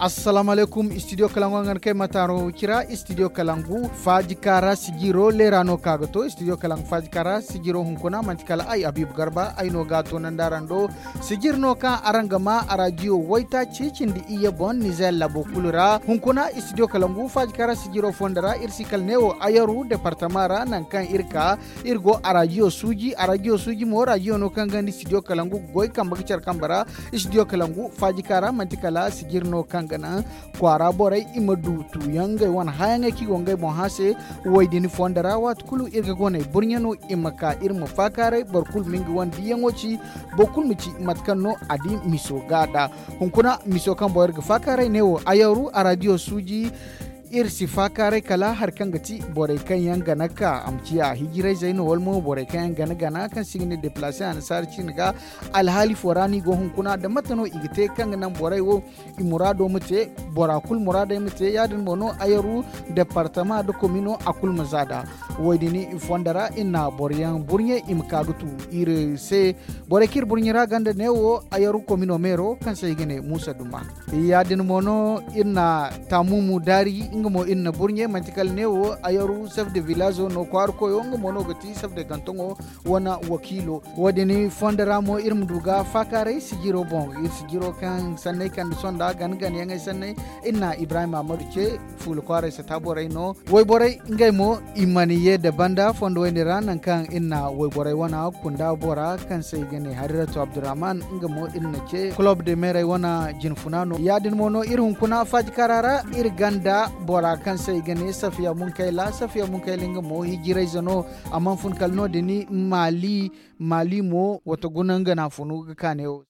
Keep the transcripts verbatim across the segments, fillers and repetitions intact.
Assalaamu alaykum, istidiyo kalangu hangan kay ma taaro cira istidiyo kalangu faaji kaara sijiro leera no ka ga to istidiyo kalangu faaji kaara sijiro hunkuna manti kala ay habiibu garba ay no ga a toonandi araŋ do. Sijir no kaŋ araŋ ga maa araadiyo waytaaci cindi iyye boŋ nizeer labo kulu ra hunkuna istidiyo kalangu faaji kaara sijiro fondo ra iri si kala neewo ayaru departama ra nangu kaŋ iri ka iri go araadiyo suuji araadiyo suuji mo raadiyo no kaŋ ganda istidiyo kalangu ga goy kambe ga care kambe ra. Istidiyo kalangu faaji kaara manti kala sijir no kaŋ ga naŋ kwaara borey i ma du tuuyaŋ ngey wane hããyaŋey kaŋ i go ngey boŋ hã se. Wo- din fondo ra waati kulu iri ga goney burɲe no i ma ka iri ma faakaaray boro kulu ma nga wane diiyaŋo ci. Boro kulu ma ci mate kaŋ no a di miso ga nd'a. Hunkuna miso kaŋ boŋ iri ga faakaaray neewo ayaru araadiyo suuji. Iri si faakaaray kala hari kaŋ ga ti borey kaŋ yaŋ gana ka a ma ciya hijirayzey no wala mo borey kaŋ yaŋ gana gana kaŋ si ga ne deplaase annasaara ciine ga. Alhaali fo ra no i go hunkuna nda mate no i ga te kaŋ ga naŋ borey wo i muraado ma te. Bora kulu muraadey ma te ya- din mo no ayaru departama nda komino a kulu ma za nd'a. Wo- din i fondo ra iri na boro yaŋ burɲe i ma ka ga tu iri se. Borey kaŋ iri burɲe ra ganda neewo ayaru komino meero kaŋ se i ga ne muusa duma. Ya- din mo no iri na taamumu daari nga mo iri na burɲe manti kala neewo ayaru sef de vilaazo no kwaara koyo nga mo no ga ti sef de gantoŋo wane wakiilo. Wo- din fondo ra mo iri ma du ga faakaaray sijiro boŋ iri sijiro kaŋ sanney kande sonda gana gana yaŋey sanney. Iri na ibrahim ahmadu ce fuula kwaaray sata borey no wayborey ngey mo i mana ye nda banda fondo wayne ra nangu kaŋ iri na wayborey wana kunda bora kaŋ se i ga ne hariratu abdurrahman nga mo iri na ce kulob de meerey wana jinfuna no ya- din mo no iri hunkuna faaji kaara ra. Iri ganda bora kaŋ se i ga ne safiya munkayla safiya munkayla nga mo hijirayze no. A mana fun kala no- din maali maali mo wata guna nga na funu ga kaane wo.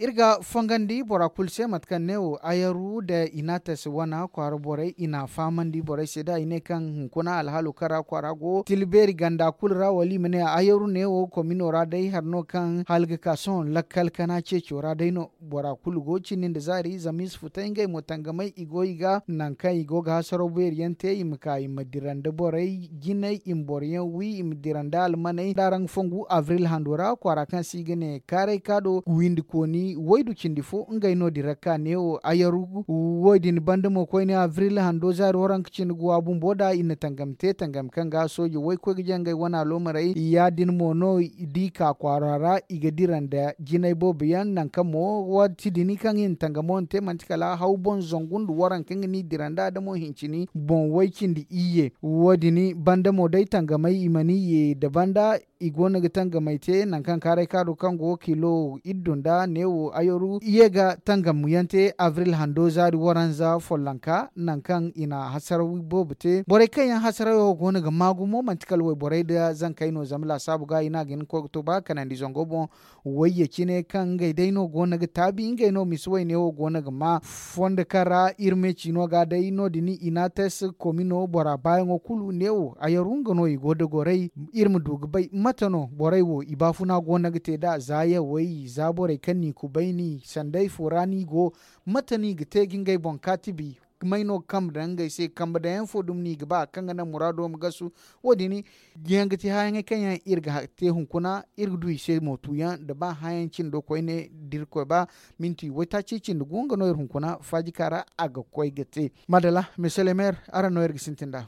Iri ga fongandi bora kulu se mate kaŋ neewo ayaru nda inates wana kwaara borey i na a fahamandi borey se da i ne kaŋ hunkuna alhaalo kaŋ ra kwaara go tila beeri ganda kulu ra wala i ma ne ayaru neewo komino ra day hari no kaŋ hala ga ka sohõ lakkal kana ceeco ra day no. Bora kulu go cindi nda zaari zama i si futay ngey mo tangamay i go i ga nangu kaŋ i go ga hasaraw beeri yaŋ te i ma ka i ma dira nda borey jinay i ma boro yaŋ wi i ma dira nda almaney nda araŋ ga fongu abril hando ra kwaara kaŋ se i ga ne kaaray kaado windi kooni waydu cindi fo ngey no dira ka neewo ayaru. Wo- din banda mo koyne abril hando zaari waranka cindi ga wa bumbo da i na tangam te tangam kaŋ ga sooji waykoy ga jangay wane aloomarey ya- din mo no di ka kwaara ra i ga dira nda jinay boobo yaŋ nangu kaŋ mo waati din kaŋ i na tangamo na te manti kala haw boŋ zangu nda waranka nga no i dira nda adamo hincini boŋ way cindi iyye. Wo- din banda mo day tangamay i mana iyye nda banda i go no ga tangamay te nangu kaŋ kaaray kaado kaŋ go kilo iddu nda neewo ayaru i ye ga tangam yaŋ te abril hando zaari waranza follonka nangu kaŋ i na hasaraw boobo te borey kaŋ yaŋ hasarawo go no ga maa gumo manti kala wayborey nda zankey no zama laasaabu ga i no a ga hin ga koy ga to ba kanandi zango boŋ. Wayye cine kaŋ ngey day no go no ga taabi ngey no misi wayne wo go no ga maa fondo kaŋ ra iri me ciino ga day no- din inates komino bora baayaŋo kulu neewo ayaru nga no i go da goray. Iri ma du ga bay mate no borey wo i baafuna go no ga te nd'a za yawey za borey kaŋ n'i kubayni sanday fo ra no i go. Mate no i ga te ga ngey boŋ kaatibi may no ga kambe daŋ ngey se kambe daŋyaŋ fo dumi no i ga ba kaŋ ga naŋ muraado ma gasu. Wo- din yaŋ ga ti hããyaŋey kaŋ yaŋ iri ga te hunkuna iri ga du i se mo tuuyaŋ nda ba hããyaŋ cindo koyne da irkoy ba minti waytaaci cindi gu nga no iri hunkuna faajika ra a ga koy ga te. Madala, monsieur le maire araŋ no iri ga sintin nd'a.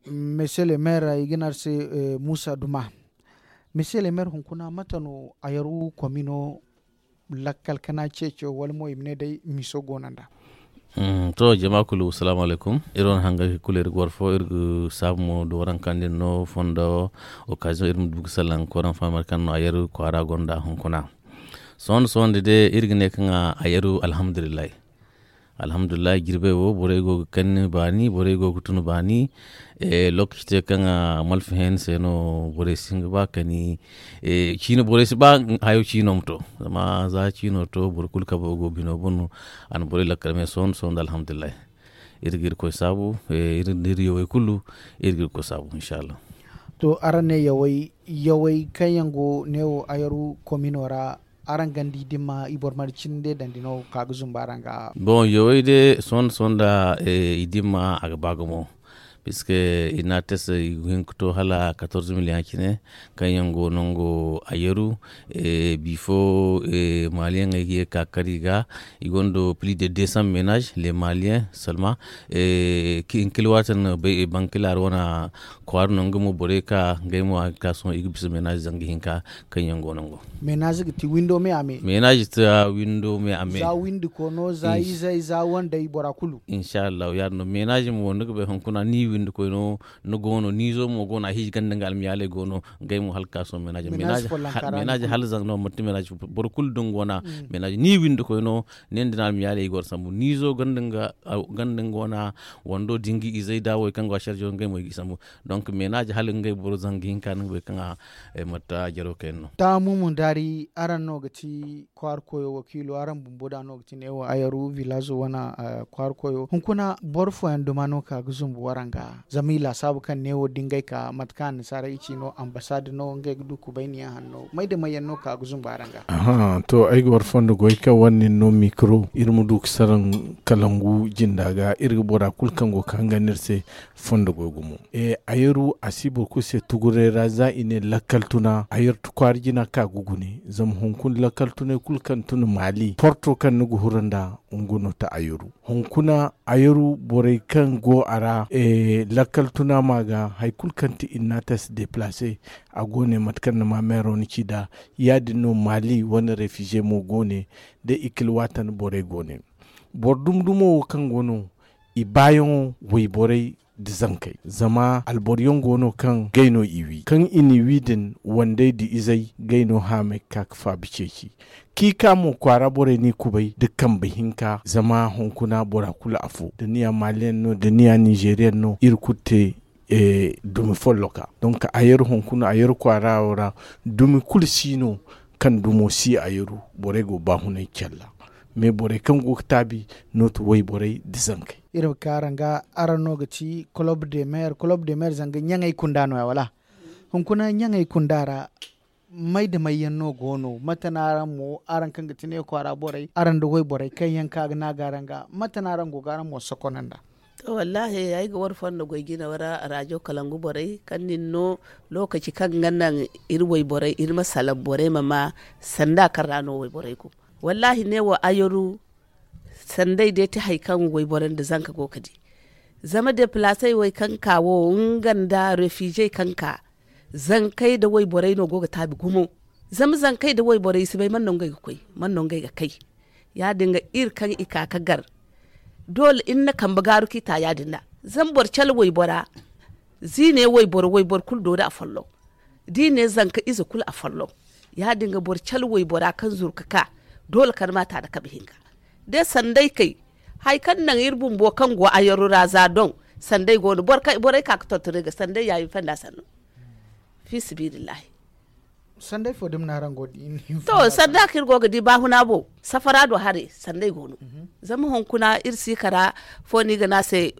Monsieur le maire i ga ne araŋ se muusa duma. Monsieur le maire hunkuna mate no ayaru komino lakkal kana ceeco wala mo i ma ne day miso go no nd'a. To jama kulu salaamu alaykum. Iri wane hangay kulu iri ga war fo iri ga saabu mo da waranka din no fondo. Okkaziyoŋ iri ma du ga salaŋ koyraŋ fahamay kaŋ no ayaru kwaara gonda hunkuna. Sohõ nda sohõ nda day iri ga ne kaŋ ayaru alhamdulillahi. Alhamdulillahi jirbey wo borey go ga kanni baani borey go ga tun baani. Lookaci te kaŋ a malfa hẽeni se no borey si hin ga ba kani. Ciino borey si ba hayo ciino ma to zama za ciino to boro kulu kabe go bino boŋ no. A na borey lakkal me sohõ nda sohõ nda alhamdulillahi. Iri ga irkoy saabu iri nda iri yawey kulu iri ga irkoy saabu inshallah. To araŋ ne yawey yawey kaŋ yaŋ go neewo ayaru komino ra araŋ ganda i dimma i boro mana cine day dandi no ka ga zumba araŋ ga. Boŋ yawey day sohõ nda sohõ nda i dimma a ga ba gumo. puisque i na a test i ga hin ga to hala quatorze million cine, kaŋ yaŋ go nango a yaru. Bifo maliyaŋey ga ye ga ka kar i ga, i gonda plus de deux cents ménage les maliens seulement. Kinkil waati no bay bankila ra wana kwaara no nga mo borey ka ngey mo a ga ka sohõ i ga bisa ménage zanga hinka kaŋ yaŋ go nango. Ménage ga ti windo me a me. Ménage ta windo me a me. Za windi kono za izey za wandey bora kulu. Inshallah ya din no ménage mo ni ga bay hunkuna ni windi koy no. Ni go no ni zo mo go no a hiiji ganda nga almiyaaley go no. Ngey mo hala ga ka sohõ ménage ménage hala zanga no manti ménage boro kulu din go no. Ménage ni windi koy no. Nin din almiyaaley i go no sambu ni zo ganda nga wana wando dingi izey da wo kaŋ go a sharjo ngey mo i ga i sambu. Donc ménage hala ngey boro zanga hinka ni ga bay kaŋ a mata jaro kayna no. Taamu mun daari araŋ no ga ti kwaara koyo wakiilo araŋ bumbo da no ga ti neewo ayaru village wana kwaara koyo hunkuna boro fooyaŋ duma no ka ga zumbu waraŋ ga zama i laasaabu kaŋ neewo da ngey ka mate kaŋ annasaara i ci no ambassade no ngey ga du kubayniyaŋ hanno may da may yaŋ no ka ga zumbu araŋ ga. To ay ga war fondo goy kaŋ wane nin no mikro iri ma du ga saraŋ kalangu jinda ga iri ga bora kulu kaŋ go ga hangan iri se. Fondo goy gumo. Ayaru a si boro kulu se tuguray ra za i ne lakkal tuna ayaru tukwaari jina ka ga gune zama hunkuna lakkal tunay kulu kaŋ tuna maali porto kaŋ ni ga huru nda nga no ta ayaru. Hunkuna ayaru borey kaŋ go a ra lakkal tuna ma ga hari kulu kaŋ ti innatas deplace. A go ne mate kaŋ ni ma meero ni ci nd'a ya- din no maali wane refize mo go ne da ikilwaatan borey go ne. Boro dumi dumo wo kaŋ go no i baayaŋo wayborey nda zankey zama alboro yaŋ go no kaŋ gay no i wi kaŋ i n'i wi din wandey nda izey gay no haamey ga ka ga faabi ceeci. Kiika mo kwaara borey n'i kubay nda kambe hinka zama hunkuna bora kulu afo da ni ya maliyaŋ no da ni ya ninzeeriyaŋ no iri kulu te dumi folloka. Donk a yaru hunkuna a yaru kwaara wo ra dumi kulu si no kaŋ dumo si a yaru borey go baahunay calla. Mais borey kaŋ go ga taabi no ti wayborey nda zankey. Iri ma ka araŋ ga araŋ no ga ti club de maire club de maire zanga ɲaŋey kunda no- ya wala? Hunkuna ɲaŋey kunda ra may da may yaŋ no go no mate no araŋ mo araŋ kaŋ ga ti ne kwaara borey araŋ nda wayborey kaŋ yaŋ ka ga naaga araŋ ga mate no araŋ go ga araŋ mo sokono nd'a? To wallaahi ay ga war fondo goy jina wara raajo kalangu borey kaŋ nin no lookaci kaŋ ga naŋ iri wayborey iri ma salaŋ borey ma ma sanda kaŋ ra no wayborey go. Wallaahi ne wo ayaru sanday day ti hari kaŋ wayborey nda zanka go ga di. Zama deplaasey wo kaŋ ka wo nga nda refizey kaŋ ka zankey nda wayborey no go ga taabi gumo. Zama zankey nda wayborey i si bay man no ngey ga koy man no ngey ga kay. Ya- din ga iri kaŋ i ka ga gar doole iri na kambe gaaru kaŋ i ta ya- din nd'a. Zama boro cala waybora ziine wayboro wayboro kulu do nda afolloŋ da i ne zanka ize kulu afolloŋ. Ya- din ga boro cala waybora kaŋ zuru ga ka doole kala ma a ta nda kabe hinka. Da sanday kay hari kaŋ naŋ iri bumbo kaŋ go ayaro ra za doŋ sanday go no borey ka ga tonton iri ga sanday ya i ma fanda sanno. Fi sabilillahi. Sanday fo dumi no araŋ go ga di? To sanda kaŋ iri go ga di baahuna bo safara do haray sanday go no. Zama hunkuna iri si kara fo no i ga ne a se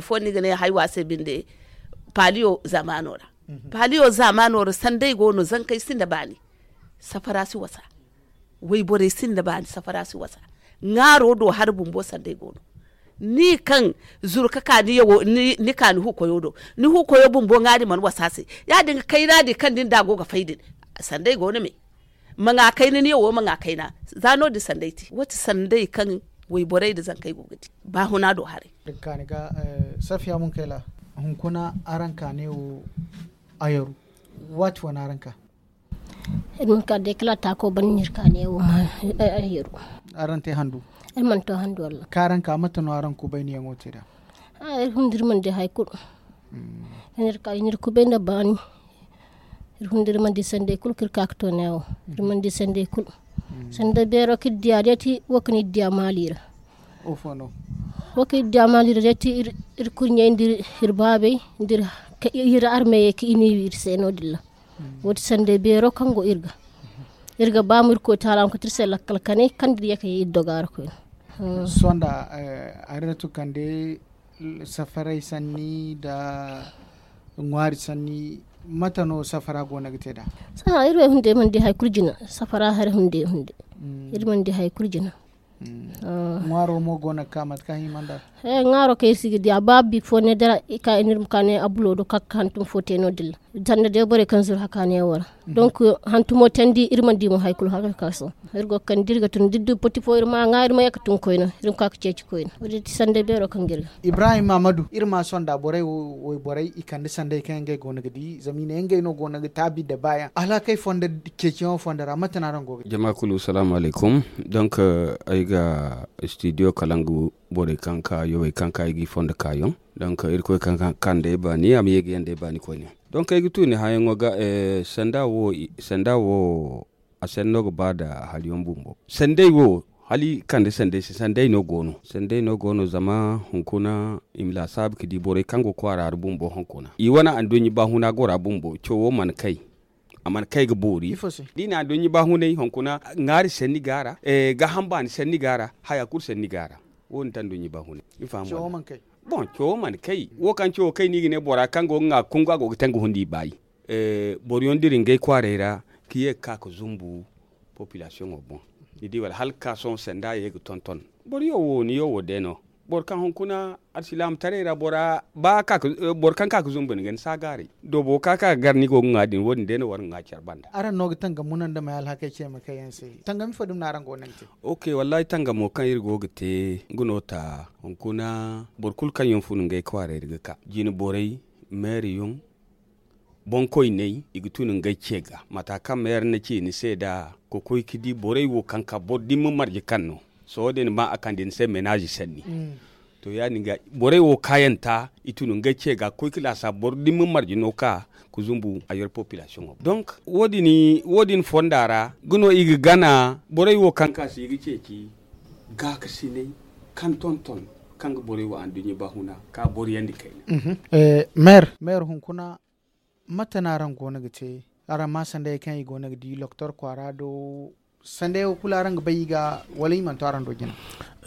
fo no i ga ne haywa se binde. Paaliyo zaamaano ra paaliyo zaamaano ra sanday go no zankey sinda baani. Safara si wasa. Wayborey sinda baani safara si wasa. Ŋaaro do hari bumbo sanday go no. Ni kaŋ zuru ga ka ni huukoyo do ni huukoyo bumbo ŋaari mana wasa se. Ya- din ga kayna din kaŋ din da go ga fay din sanday go no me. Ma ŋwa kayna ni yawo ma ŋwa kayna. Za no- din sanday te wo- ti sanday kaŋ wayborey nda zankey go ga di. Baahuna do haray. Safiya munkayla hunkuna araŋ ka ne wo ayaru waati wane araŋ ka? Iri ma ka day kala taako ban no iri ka ne wo ma ayaru. Araŋ te handu? Iri mana to handu walla. Kaŋ araŋ ka mate no araŋ kubayniyaŋo te nd'a? Iri fun da iri mana di hari kulu. Iri ka iri kubay nda baani. Iri fun da iri mana di sanday kulu kaŋ iri ka ga to ne wo. Iri mana di sanday kulu. Sanday beero kaŋ iri diya day ti wo kaŋ iri diya maali ra. Wo kaŋ iri diya maali ra day ti iri kurɲey nda iri baabey nda iri armeyey kaŋ i n'i wi iri se no- din ra. Wo- ti sanday beero kaŋ go iri ga iri ga ba mo iri koy taala ma koy ti iri se lakkal kanay kaŋ da iri ye ka ye iri doga ra koyne. Sohõ nda ayratu kande safaray sanni nda ŋwaari sanni mate no safara go no ga te nd'a? Sohõ iri wo hunday mana di hari kulu jina. Safara hari hunday hunday iri mana di hari kulu jina. Ŋwaaro mo go no ga ka mate kaŋ hima nd'a. Ŋwaaro kaŋ iri si ga di a ba bik fo ne da i ka iri ma ka ne a bulo do ka hantum fo te no- din ra sanda day borey kaŋ zuru hakaaniyaŋ wo ra. Donc hantumo tandi iri mana di mo hari kulu haka ka sohõ. Iri go ga kande da iri ga tun da iri du poti fo iri ma a ŋwa iri ma ye ga tun koyne iri ma ka ga ceeci koyne wo- din ti sanday beero kaŋ ga iri ga. Ibrahim mahamadu, iri ma a sonda borey wo wayborey i kande sanday kaŋ yaŋ ngey go no ga di zama i ne ngey no go no ga taabi nda baayaŋ alhakey fonda ceeciyaŋo fonda ra mate no araŋ go ga di? Jama kulu salaamu alaykum. Donc ay ga studio kalangu borey kaŋ ka yowey kaŋ ka i g'i fondo kaayaŋ. Donc irkoy kaŋ ka kande ay baani a ma ye ga yanda ay baani koyne. Donc ay ga tu ni hããyaŋo ga. Sanda wo a senno ga ba nda hariyaŋ bumbo sandey wo hala i kande sandey se sandey no go no zama hunkuna i ma laasaabu ga di borey kaŋ go kwaara ra bumbo hunkuna i wane anduɲɲa baahuna gora bumbo cawo mana kay. A mana kay ga boori da i na anduɲɲa baahunay hunkuna ŋaari sanni go a ra. Gaaham baani sanni go a ra. Haya kulu sanni go a ra. Wo- din ti anduɲɲa baahunay. Ni faham wala? Boŋ cawo mana kay wo kaŋ cawo kay no i ga ne bora kaŋ go ga ŋwa kungu a go ga te nga hundi i baayi. Boro yaŋ dira ngey kwaaray ra ka ye ga ka ga zumbu popilasiyoŋo boŋ. Ni di wala hala ga ka sohõ sanda ye ga tonton. Boro yaŋ wo ni yaŋ wo day no. Boro kaŋ hunkuna alsilaamataray ra bora ba boro kaŋ ka ga zumbu ni ga ni si a gaaray. Doobo ka ka ga gar ni go ga ŋwa din wo- din day no war ga ŋwa care banda. Araŋ no ga tangam muna nda may alhakey ce ma kay yaŋ se? Tangami fo dumi no araŋ go no ga te? Ok wallahi tangamo kaŋ iri go ga te nga no ta hunkuna. Boro kulu kaŋ yaŋ fun ngey kwaaray ra ga ka jine borey meeri yaŋ boŋkoyney i ga tun ngey ce ga mata kaŋ meeri na ci ni se nd'a ga koy ga di borey wo kaŋ ka boro dimma marje kaŋ no. Sohõ da ni ma a kande ni se menaazi sanni. To ya- din ga borey wo kaayanta i tun ngey ce ga ga koy ga laasaabu boro dimma marje no ka ga zumbu a yer popilasiyoŋo boŋ. Donc wo- din fonda ra ga no i ga gana borey wo kaŋ ka se i ga ceeci gaakasinay kaŋ tonton kaŋ ga borey wo anduɲɲa baahuna ka boriyandi kayna. Meer hunkuna mate no araŋ go no ga te? Araŋ ma sandayey kaŋ i go no ga di doktor kwaara do? Sandayey wo kulu araŋ ga bay i ga wala i mana to araŋ do jina?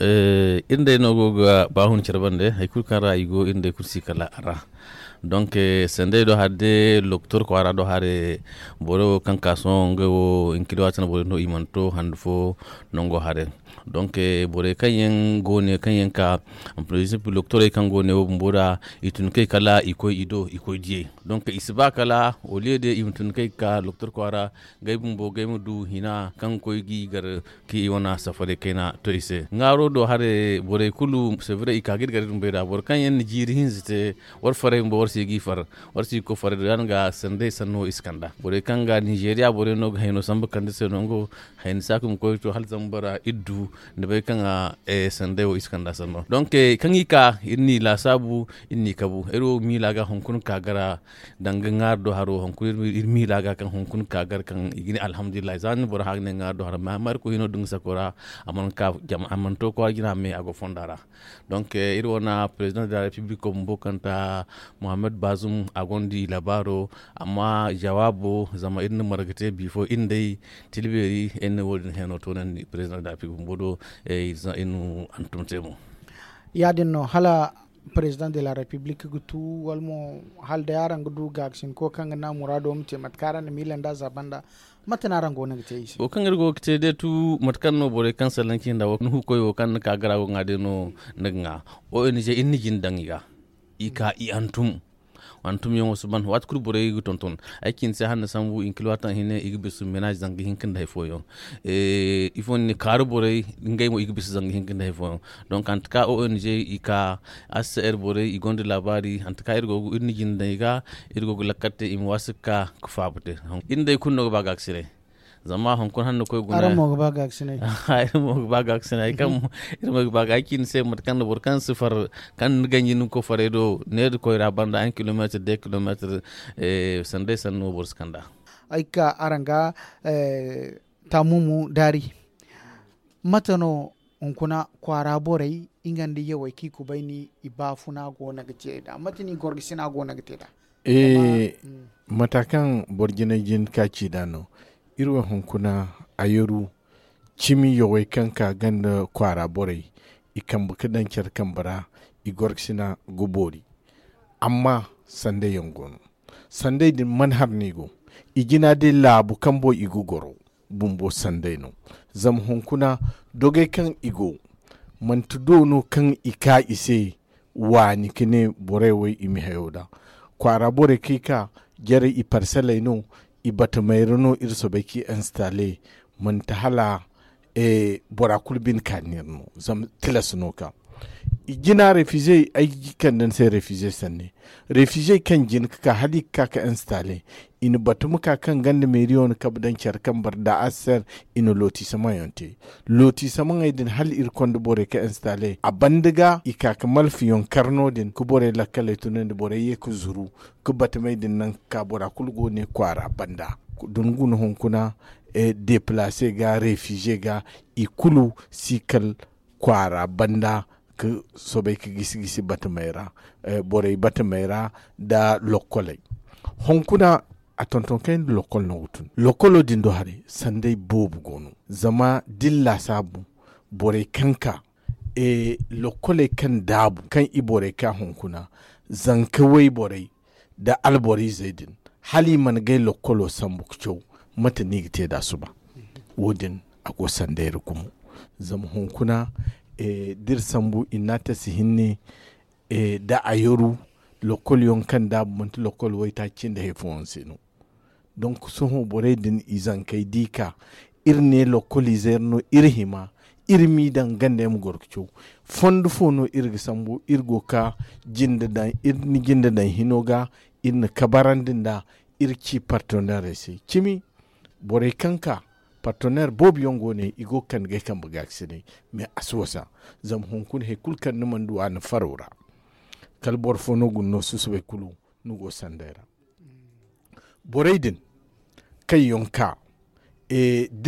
Iri day no go ga baahun care bande hari kulu kaŋ ra i go iri day kulu si kala a ra. Donc sandayey do hari day doktor kwaara do hari boro kaŋ ka sohõ ngey wo inkiliwaati no boro no i mana to handu fo nango hari. Donc borey kaŋ yaŋ go ne kaŋ yaŋ ka doktorey kaŋ go ne wo bumbo ra i tun kay kala i koy i do i koy diyey. Donc i si ba kala oliye de i ma tun kay ga ka doktor kwaara gay bumbo gay ma du hina kaŋ ga koy ga i gar ka i wane safaray kayna to i se ŋwaaro do hare borey kulu sevre i ka ga iri gar iri ma bay nd'a boro kaŋ yaŋ na jiiri hinza te war faray bumbo war si ga i far war si ga koy faray do ya- din ga sanday sanno i si kand'a borey kaŋ ga ninzeeriya borey no ga hayno sambu kande se nango hayni saaka ma koy to hala zambar iddu ni bay kaŋ a sanday wo i si kand'a sanno donc kaŋ i ka iri n'i laasaabu iri n'i kabu iri wo miila ga hunkuna ka gara danga ŋwaari do haro hunkuna iri miila ga kaŋ hunkuna ka gara kaŋ i ga ne alhamdulillahi za ni boro hã ga ne ŋwaari do haro ma iri koy hino da nga sako ra a mana to kwaara jina me a go fonda ra. Donc iri wane président de la république bumbo kaŋ ta mohammed bazum a gonda i labaaro amma jawaabo zama iri na marga te bifo iri nd'ey tilbeeri iri na wo- din heno toonandi président de la république bumbo do. Iri na hantum te mo ya- din no hala président de la république ga tu wala mo hala day araŋ ga du gaakasinko kaŋ ga naŋ muraado ma te mate kaŋ araŋ na miila nd'a za banda? Mate no araŋ go no ga te i se? Wo kaŋ iri go ga te day tu mate kaŋ no borey kaŋ salaŋ cindi ra wo nuhukoy wo kaŋ ni ka gara go ga ŋwa day no ni ga ŋwa. Ong iri na jin daŋ i ga i ka i hantum hantumyaŋo si ban waati kulu borey ga tonton. Ay cindi se hala ni sambu i na kilo waati kaŋ hine i ga bisa menaazi zanga hinka nda hari fooyaŋ. Ifo ni ne kaaru borey ngey mo i ga bisa zanga hinka nda hari fooyaŋ. Donk hanti ka ong i ka hcr borey i gonda laabaari hanti ka iri go ga iri na jinde daŋ i ga iri go ga lakkal te i ma waasi ga ka ga faaba te. Iri day kulu no ga ba gaakasinay zama hunkuna hala ni koy guna iri mo ga ba gaakasinay. Iri mo ga ba gaakasinay ay kaŋ iri mo ga ba gaakasinay ay ci ni se mate kaŋ na boro kaŋ si far kaŋ ni ganji ni ga koy faray do neeri koy ra banda un kilomeetir de kilomeetir. Sanday sanno boro si kand'a. Ay ga ka araŋ ga taamumu daari. Mate no hunkuna kwaara borey nga nda yawey kaŋ i kubayni i baafuna go no ga te nd'a mate no i gorgasina go no ga te nd'a? Mata kaŋ boro jinay jin ka ci nd'a no iri wo hunkuna a yaru cimi yawey kaŋ ka ganda kwaara borey i kambe ga daŋ care kambe ra i gorgasina ga boori. Amma sanday yaŋ go no sanday din mana har no i go i jina day laabu kambo i ga goro. bumbo sanday no. Zama hunkuna dogey kaŋ i go, manti do no kaŋ i ka i se waani ka ne borey wo i ma hayo da. Kwaara borey kaŋ i ka, jarey i parseley no, i batamey ra no iri soobay ka i installe. Manti hala bora kulu bine ka neera no, zama tilas no ka. I jina refize ay ga kande ni se refize sanni. Refize kaŋ jin ka ka hala i ga ka ka installe, i na batu ma ka kaŋ ganda meeriyo na kabe daŋ care kaŋ bar da aser. I na looti samaŋ yaŋ te, looti samaŋey din hala iri konda borey ka installe a banda ga i ka ka malfiyoŋ kar no- din ka borey lakkaley tunandi borey ye ka zuru ka batamey din naŋ ka ka bora kulu go ne kwaara banda. Da ni guna hunkuna deplace ga refize ga, i kulu si kal kwaara banda ka soobay ka gisi gisi batamey ra, borey batamey ra, nda lokkoley. Hunkuna a tonton kayna da lokkol no ga tun lokkolo din do haray sanday boobo go no. Zama da ni laasaabu borey kaŋ ka lokkoley kaŋ daabu kaŋ i borey ka hunkuna, zanka wayborey nda alboriizey din, hala i mana gay lokkolo sambu ka caw. Mate no i ga te nd'a suba? Wo- din a go sanday ra gumo. Zama hunkuna da iri sambu i na a tasi hinne, da a yaru lokkolyaŋ kaŋ daabu manti lokkol waytaaci cindi hari fooyaŋ se no. Donk sohõ borey din i zankey di ka iri ne lokkoliize yaŋ no iri hima iri m'i daŋ ganda yaŋ ma goro ga caw. Fondo fo no iri ga sambu iri go ga ka jinde daŋ iri na jinde daŋ hino ga iri na kabarandi nd'a. Iri ci parteneerey se cimi borey kaŋ ka parteneer boobo yaŋ go ne i go ga kande ga ay kambe gaakasinay. Mais a si wasa zama hunkuna hari kulu kaŋ ni mana du a ni faro ra kala boro fo no ga ni no susubay kulu ni go sanday ra. Borey din kaŋ yaŋ ka da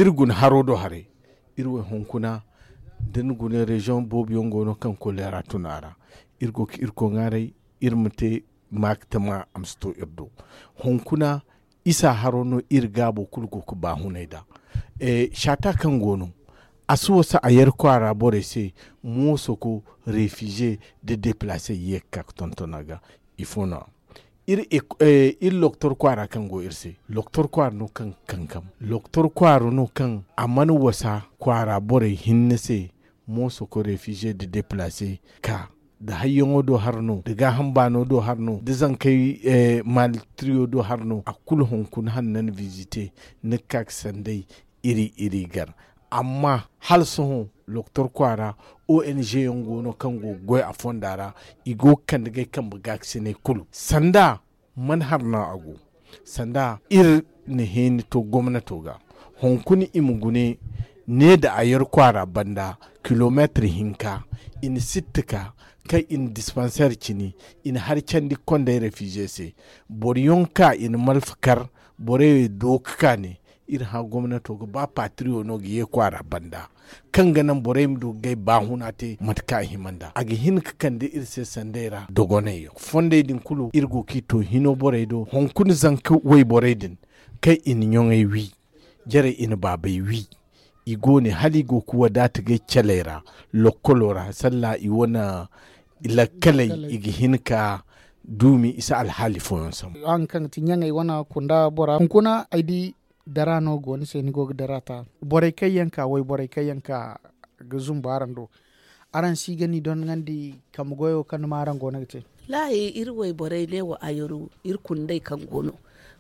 iri guna haro do haray iri wo hunkuna da ni guna reziyoŋ boobo yaŋ go no kaŋ koleera tun a ra. Iri go ga irkoy ŋwaaray iri ma te ma ga tama a ma si to iri do. Hunkuna isa haro no iri gaabo kulu go ga baahunay nd'a. Saata kaŋ go no a si wasa a yar kwaara borey se moosoko refize nda deplaase ye ga ka ga tonton a ga. Ifo no a iri loktor kwaara kaŋ go iri se loktor kwaara no kaŋ ga kankam loktor kwaara no kaŋ a mana wasa kwaara borey hinne se. Moosoko refize nda deplaase ka nda hayyaŋo do har no nda gaaham baano do har no nda zankey maalitiriyo do har no a kulu hunkuna hanna ni visite ni ga ka ga sanday. Iri iri gar amma hala sohõ loktor kwaara ong yaŋ go no kaŋ go ga goy a fonda ra i go ga kande ga ay kambe gaakasinay kulu sanda man har no a go. Sanda iri na heeni to gomnato ga hunkuna i ma gune ne nda a yar kwaara banda kilomeetir hinka i na sitti ka kaŋ i na dispanseer cini i na hari candi ga konda ay refize se. Boro yaŋ ka i na malfa kar borey do ga ka ne iri hã gomnato ga ba patiriyo no ga ye kwaara banda kaŋ ga naŋ borey ma du ga gay baahuna te mate kaŋ a hima nd'a a ga hin ga kande iri se sanday ra dogonay yaŋ fondey din kulu iri go ga i to hino borey do hunkuna zanka wayborey din kaŋ i na ɲoŋey wi jarey i na baabey wi. I go ne hala i go ga wadaata ga ay caley ra lokkolo ra salla i wane lakkaley i ga hin ka duumi i si alhaali fooyaŋ sambu. Araŋ kaŋ ga ti ɲaŋey wane kunda bora hunkuna ay di dara no go ni se ni go ga dara ta borey kaŋ yaŋ ka wayborey kaŋ yaŋ ka ga zumbu araŋ do araŋ si ga ni donŋandi kambe goyo kaŋ ni ma araŋ go no ga te? Wallaahi iri wayborey neewo ayaru iri kundey kaŋ go no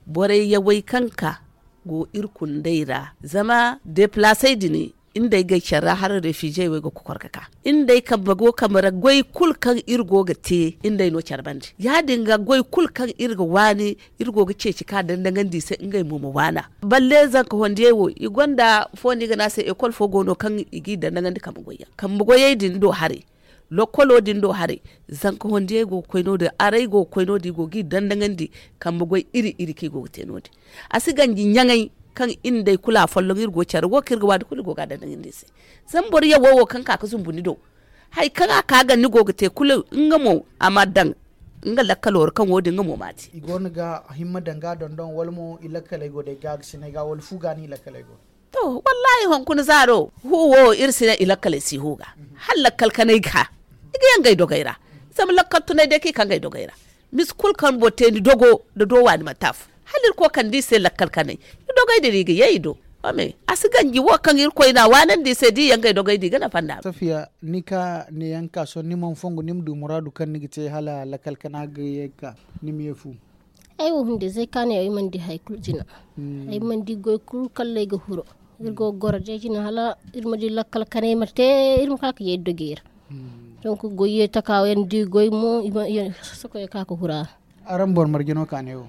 borey yawey kaŋ ka go iri kundey ra zama deplaasey din iri nd'ey gay care ra hala refize wey ga kokor ga ka iri nd'ey kambe go kambe ra goy kulu kaŋ iri go ga te iri nd'ey no care bande ya- din ga goy kulu kaŋ iri ga waani iri go ga ceeci ka dandaŋandi i se ngey mo ma waana. Balle zanka hondiyey wo i gonda fo no i ga ne a se ekol fo go no kaŋ i g'i dandaŋandi kambe goyyaŋ kambe goyey din do haray lokkolo din do haray. Zanka hondiyey go ga koy no- din arey go ga koy no- din i go g'i dandaŋandi kambe goy iri iri kaŋ i go ga te no- din a si ganji ɲaŋey kaŋ iri nd'ey kulu afolloŋ iri go care wo kaŋ iri ga waani kulu iri go ga a dandaŋandi i se. Zama boro yawo wo kaŋ ka ga zumbu ni do hari kaŋ a ka ga ni go ga te kulu nga mo a ma daŋ nga lakkalo ra kaŋ wo- din nga mo m'a te. I go no ga himma daŋ ga a dondon wala mo i lakkaley go day gaagasinay ga wala fu ga no i lakkaley go? To wallaahi hunkuna zaaro hu wo iri si ne i lakkaley si hu ga hala lakkal kanay ga i ga yaŋ ga ay dogey ra. Zama lakkal tunay day kaŋ i kaŋ ga ay dogey ra misi kulu kaŋ boro te ni dogo nda do waani manti afo hala iri koy kande i se lakkal kanay i dogey din i ga ye i do. A si ganji wo kaŋ irkoy na a waanandi i se da i yaŋ ga ay dogey da i ga nafa nd'a. Safiya, ni ka ne yaŋ ka sohõ ni mana fongu ni ma du muraadu kaŋ ni ga te hala lakkal kana ga ye ga ka ni ma ye fu? Ay wo hunde zay ka ne ay mana di hari kulu jina. Ay mana di goy kulu kalla ay ga huro. Iri go ga goro day jina hala iri ma di lakkal kanay ma te, iri ma ka ga ye dogey ra. Donk goy ye taka yaŋ da i goy mo i ma sokoy ka ga hura. Araŋ boro marje no kaanay wo?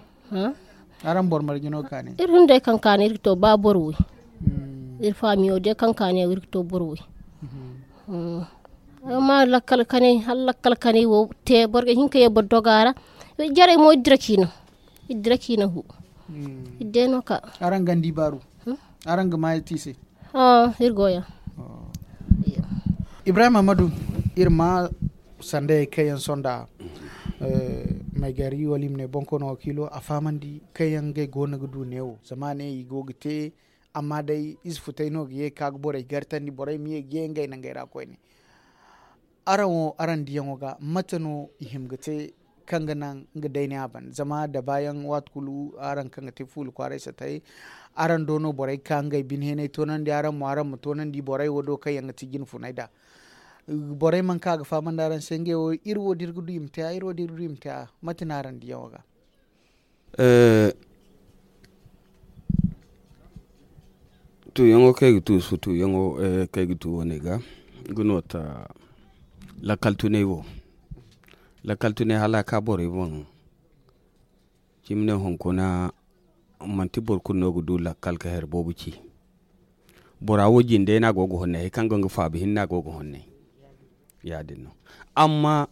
Araŋ boro marje no kaanay? Iri hunday kaŋ kaanay iri ga to ba boro way. Iri faamiyo day kaŋ kaanay wo iri ga to boro way. Amma lakkal kanay hala lakkal kanay wo te boro ga hin ka ye boro doga ra. Jarey mo iri dira ciina iri dira ciina fu. Iri day no ka. Araŋ gandi baaru? Araŋ ga ma ti se? Iri go ya. Ibrahim amadu, iri ma sandayey kaŋ yaŋ sonda, maygari wala i ma ne bonkoono wakiilo a fahamandi kaŋ yaŋ ngey go no ga du neewo zama a ne i go ga te. Amma day ize futey no ga ye ga ka ga borey gartandi borey ma ye ga ye ngey nangey ra koyne. Araŋ wo araŋ diyaŋo ga mate no i hima ga te kaŋ ga naŋ nga day ne a ban zama da baayaŋ waati kulu araŋ kaŋ ga te fuula kwaaray satayey, araŋ do no borey ga ka ngey bine heenay toonandi araŋ mo araŋ ma toonandi borey wo do kaŋ yaŋ ga ti jine funay nd'a. Borey mana ka ga fahamandi araŋ se ngey wo iri wo da iri ga du i ma te a iri wo da iri ga du i ma te a? Mate no araŋ diyaŋo ga? Tuuyaŋo kaŋ ay ga tu sutuyaŋo kaŋ ay ga tu wane ga nga no ta. Lakkal tunay wo lakkal tunay hala a ka borey boŋ. Cimi ne hunkuna manti boro kulu no ga du lakkal ka hari boobo ci. Bora wo jinde no a go ga honnay hari kaŋ go nga faabi hinne a go ga honnay. Ya- din no. Amma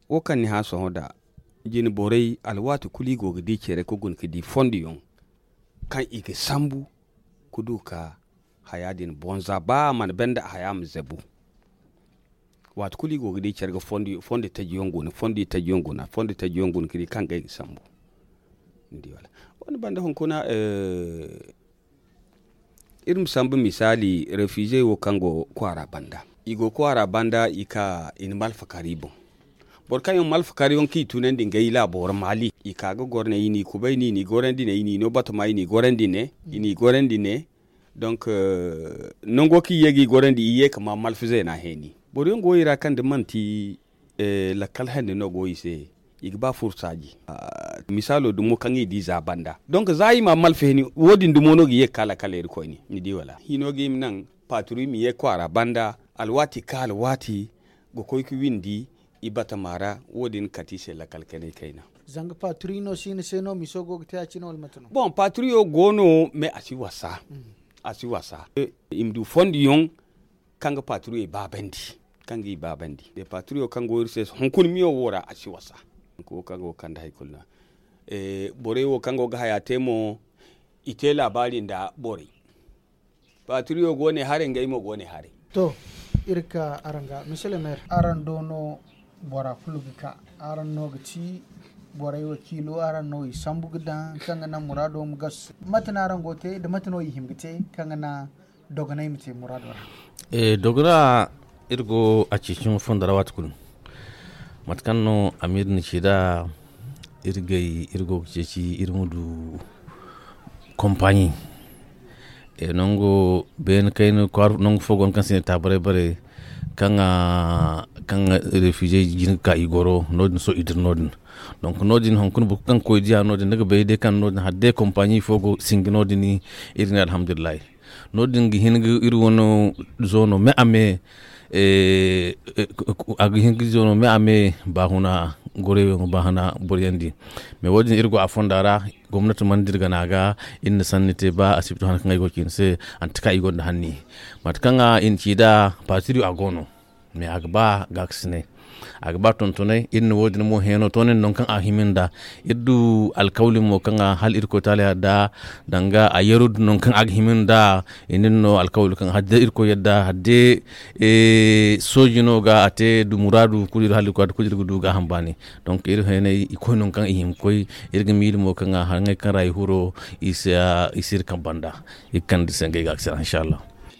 wo kaŋ ni hã sohõ nd'a jine borey alwaati kulu i go ga di care ga guna ga di fondiyaŋ kaŋ i ga sambu ga du ga haya din bonza ba a mana banda haya ma zabu. Waati kulu i go ga di care ga fondi tajiyaŋ guna fondi tajiyaŋ guna fondi tajiyaŋ guna ga di kaŋ ga ay ga sambu. Ni di wala? Wo- din banda hunkuna iri ma sambu misaali refize wo kaŋ go kwaara banda i go kwaara banda i ka i na malfa kar i boŋ. Boro kaŋ yaŋ malfa kar yaŋ kaŋ i tunandi ngey laabo ra maali i ka ga goro ne i n'i kubay ne i n'i gorandi ne i n'i no batama i n'i gorandi ne i n'i gorandi ne. Donk nango kaŋ i ye ga i gorandi i ye ga ma malfa zeena heeni. Boro yaŋ go i ra kaŋ da manti lakkal hande no go i se. I ga ba furu saaji. Misaalo dumo kaŋ i di za banda donk za i ma malfa hini wo- din dumo no ga ye ga ka lakkal iri koyne ni di wala hino ga i ma naŋ paaturu i ma ye kwaara banda. Alwaati ga ka alwaati ga koy ga windi i batama ra. Wo- din ga kate i se lakkal kanay kayna. Zanga paaturu no si ni se no miso go ga te a cine wala mate no? Boŋ paaturu yo go no mais a si wasa. A si wasa. I ma du fondiyaŋ kaŋ ga paaturu yo i baabandi. Kaŋ ga i baabandi de paaturu yo kaŋ go iri se hunkuna miyo wo ra a si wasa. Wo kaŋ go ga kande hari kulu no. Borey wo kaŋ go ga haya te mo i te laabaari nda borey. Paaturu yo go ne haray ngey mo go ne haray. To, iri ga ka araŋ ga misele mer araŋ do no. Bora kulu ga ka araŋ no ga ti borey wakiilo araŋ no i sambu ga daŋ kaŋ ga naŋ muraado ma gasu se. Mate no araŋ go ga te nda mate no i hima ga te kaŋ ga naŋ dogonay ma te muraado ra? Dogona iri go a ceeciyaŋo fondo ra waati kulu. Mate kaŋ no amiir na ci nd'a iri gay iri go ga ceeci iri ma du kompaɲi. Nango beene kayna kwaara nangu fo go no kaŋ se i ne taabaray bare kaŋ refize jin ga ka i goro no- din sohõ i dira no- din. Donk no- din hunkuna boro kulu kaŋ ga koy diya no- din ni ga bay day kaŋ no- din hala day kompaɲi fo go sinji no- din. Iri ne alhamdulillahi. No- din ga hin ga iri wane zoono me a me a ga hin ga zoono me a me baahuna goreyaŋo baahuna boroyaŋ di. Mais wo- din iri go a fonda ra gomnati mana dira gana ga iri na sanni te ba asibito hana kaŋ ay go ga ci ni se. Anti ka i gonda hanni mate kaŋ i na ci nd'a patiriyo a go no. Mais a ga ba gaakasinay a ga ba tontonay iri na wo- din mo heeno to nin nangu kaŋ a ga hima nd'a. Iri du alkawli mo kaŋ a hala irkoy taala yadda danga a yeru din nangu kaŋ a ga hima nd'a. I nin no alkawli kaŋ hala day irkoy yadda hala day sooji no ga a te du muraadu kulu iri hala irkoy yadda kulu iri ga du gaaham baani. Donc iri heenay i koy nangu kaŋ i hima ga koy. Iri ga miila mo kaŋ a haŋey kaŋ ra i huro i si iri kaŋ banda i ga kande iri se ngey gaakasina inshallah.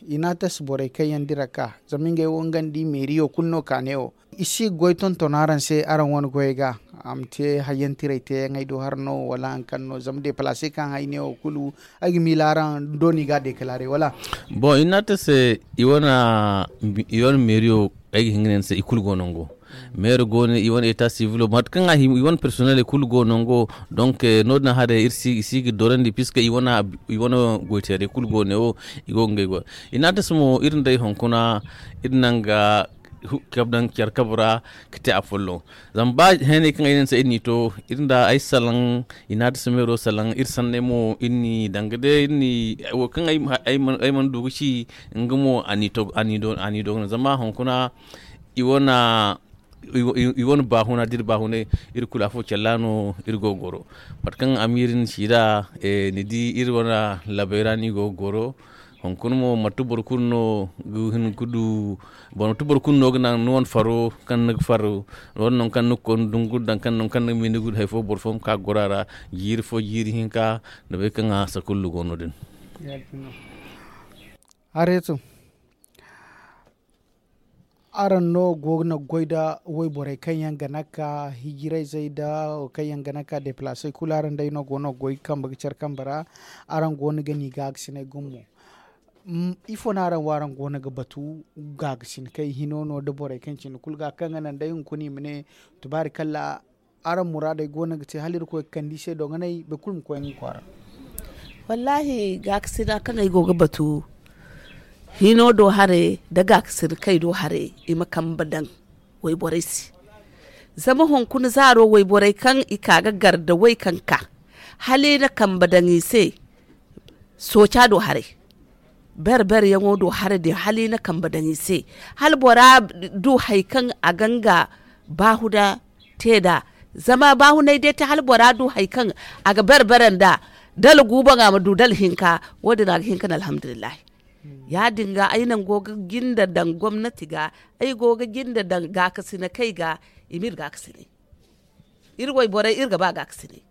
I n'a tasi borey kaŋ yaŋ dira ka zama ngey wo nga nda i meeriyo kulu no kaanay wo. I si ga goy tonton araŋ se araŋ wane goyey ga. A ma te hayyantiray teeyaŋey do hari no wala hari kaŋ no zama deplaase kaŋ ay ne wo kulu, ay ga miila araŋ dooni ga a dekalaare wala? Boŋ i naata se i wane meeriyo, ay ga hin ga ne ni se i kulu go nango. Meero go no i wane eta sivilo mate kaŋ a hima i wane personel i kulu go nango. Donk no- din haray i si ga dorandi piska i wane goyteeray kulu go ne wo. I go ga ngey go i naata se mo iri nda ay hunkuna iri naŋ ga care kabe ra ga te afolloŋ. Zama ba heenay kaŋ ay ne ni se iri n'i to iri nda ay salaŋ i naata se meero salaŋ iri sanney mo iri n'i danga day iri n'i wo kaŋ ay mana du ga ci. Nga mo a n'i do ga no zama hunkuna i wane baahuna da iri baahunay iri kulu afo calla no. Iri go ga goro mate kaŋ amiiri ni ci nd'a ni di iri wane labay ra no i go ga goro. Hunkuna mo manti boro kulu no ga hin ga du boro manti boro kulu no ga naŋ ni wane faro kaŋ ni ga far wane nangu kaŋ ni ga koy ni dungu daŋ kaŋ nangu kaŋ ni ga miila ni ga du hari fo boro fo ma ka ga goro a ra. Jiiri fo jiiri hinka ni bay kaŋ a saka kulu go no- din. Hareeto araŋ no go ga goy nda wayborey kaŋ yaŋ ga naka hijirayzey nda kaŋ yaŋ ga naka deplaasey kulu araŋ day no go no ga goy kambe ga care kambe ra. Araŋ go no ga ni gaagasiney gumo ifo no araŋ wo araŋ go no ga batu gaagasinakey hino no nda borey kaŋ cine kulu ga kaŋ ga naŋ day hunkuna i ma ne tubaarikalla araŋ muraadey go no ga te hala irkoy ga kande i se dogonay boro kulu ma koy nga kwaara. Wallaahi gaakasina kaŋ ay go ga batu hino do haray nda gaakasina kay do haray i ma kambe daŋ wayborey se. Zama hunkuna zaaro wayborey kaŋ i ka ga gar nda way kaŋ ka hala i na kambe daŋ i se. Sooca do haray berbere yaŋo do haray din hala i na kambe daŋ i se hala bora du hari kaŋ a ga nga baahuna te nd'a. Zama baahunay day te hala bora du hari kaŋ a ga berbere nd'a dala guubaŋ a ma du dala hinka. Wo- din a ga hin ka ne alhamdulillahi. Ya- din ga ay naŋ go ga jinde daŋ gomnati ga ay go ga jinde daŋ gaakasinakey ga i ma iri gaakasinay. Iri wayborey iri ga ba gaakasinay.